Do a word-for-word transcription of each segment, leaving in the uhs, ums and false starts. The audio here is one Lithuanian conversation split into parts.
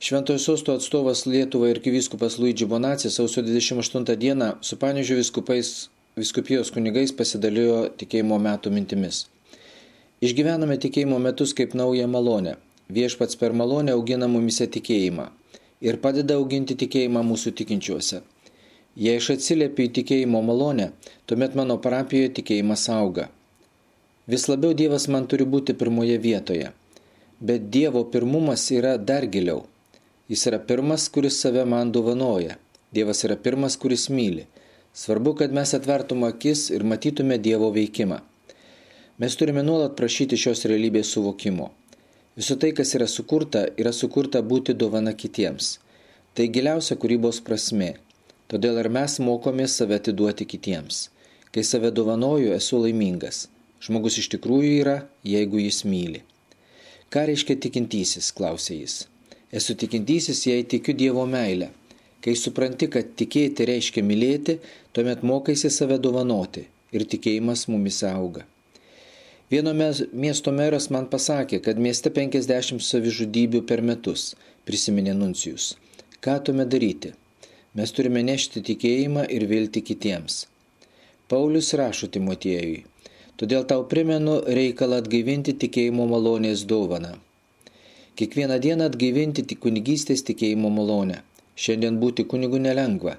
Šventojo Sosto atstovas Lietuvai arkivyskupas Luigi Bonacci sausio dvidešimt aštuntą dieną su Panevėžio vyskupais, vyskupijos kunigais pasidalijo tikėjimo metų mintimis. Išgyvename tikėjimo metus kaip naują malonę. Viešpats per malonę augina mumise tikėjimą ir padeda auginti tikėjimą mūsų tikinčiuose. Jei aš atsiliepiu į tikėjimo malonę, tuomet mano parapijoje tikėjimas auga. Vis labiau Dievas man turi būti pirmoje vietoje. Bet Dievo pirmumas yra dar giliau. Jis yra pirmas, kuris save man dovanoja. Dievas yra pirmas, kuris myli. Svarbu, kad mes atvertume akis ir matytume Dievo veikimą. Mes turime nuolat prašyti šios realybės suvokimo. Visų tai, kas yra sukurta, yra sukurta būti dovana kitiems. Tai giliausia kūrybos prasmė. Todėl ir mes mokomės save atiduoti kitiems. Kai save dovanoju, esu laimingas. Žmogus iš tikrųjų yra, jeigu jis myli. Ką reiškia tikintysis, klausė jis. Esu tikintysis, jei tikiu Dievo meilę. Kai supranti, kad tikėti reiškia mylėti, tuomet mokaisi save dovanoti ir tikėjimas mumise auga. Vieno miesto meras man pasakė, kad mieste penkiasdešimt savižudybių per metus, prisiminė nuncijus. Ką tuomet daryti? Mes turime nešti tikėjimą ir viltį kitiems. Paulius rašo Timotiejui. Todėl tau primenu reikalą atgaivinti tikėjimo malonės dovaną. Kiekvieną dieną atgaivinti tik kunigystės tikėjimo malonę. Šiandien būti kunigu nelengva.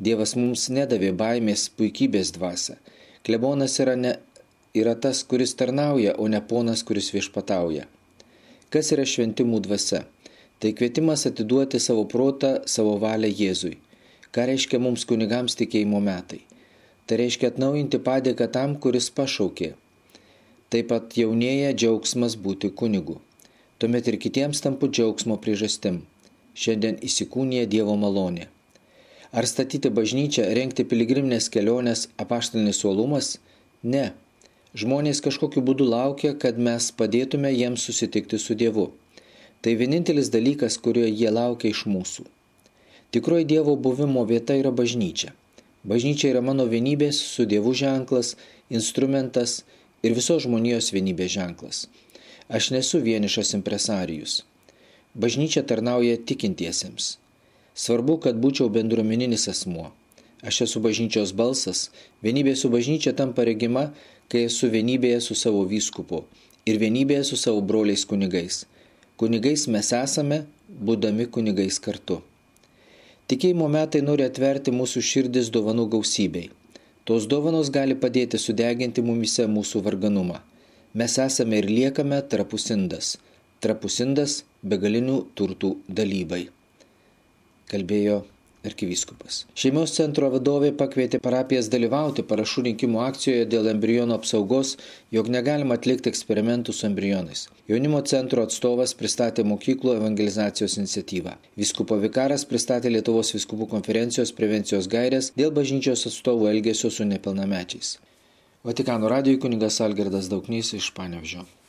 Dievas mums nedavė baimės puikybės dvasią. Klebonas yra, ne, yra tas, kuris tarnauja, o ne ponas, kuris viešpatauja. Kas yra šventimų dvasia? Tai kvietimas atiduoti savo protą, savo valią Jėzui. Ką reiškia mums kunigams tikėjimo metai? Tai reiškia atnaujinti padėką tam, kuris pašaukė. Taip pat jaunėja džiaugsmas būti kunigu. Tuomet ir kitiems tampu džiaugsmo priežastim. Šiandien įsikūnija Dievo malonė. Ar statyti bažnyčią, rengti piligriminės keliones apaštalinis uolumas? Ne. Žmonės kažkokiu būdu laukia, kad mes padėtume jiems susitikti su Dievu. Tai vienintelis dalykas, kurio jie laukia iš mūsų. Tikroji Dievo buvimo vieta yra bažnyčia. Bažnyčia yra mano vienybės su Dievu ženklas, instrumentas ir visos žmonijos vienybės ženklas. Aš nesu vienišas impresarijus. Bažnyčia tarnauja tikintiesiems. Svarbu, kad būčiau bendruomeninis asmuo. Aš esu bažnyčios balsas. Vienybė su bažnyčia tampa regima, kai esu vienybėje su savo vyskupu ir vienybėje su savo broliais kunigais. Kunigais mes esame, būdami kunigais kartu. Tikėjimo metai nori atverti mūsų širdis dovanų gausybei. Tos dovanos gali padėti sudeginti mumise mūsų varganumą. Mes esame ir liekame trapusindas. Trapusindas begalinių turtų dalybai, kalbėjo arkivyskupas. Šeimos centro vadovė pakvietė parapijas dalyvauti parašų rinkimų akcijoje dėl embrionų apsaugos, jog negalima atlikti eksperimentų su embrionais. Jaunimo centro atstovas pristatė mokyklų evangelizacijos iniciatyvą. Vyskupo vikaras pristatė Lietuvos vyskupų konferencijos prevencijos gaires dėl bažnyčios atstovų elgesio su nepilnamečiais. Vatikano radijui kunigas Algirdas Dauknys iš Panevėžio.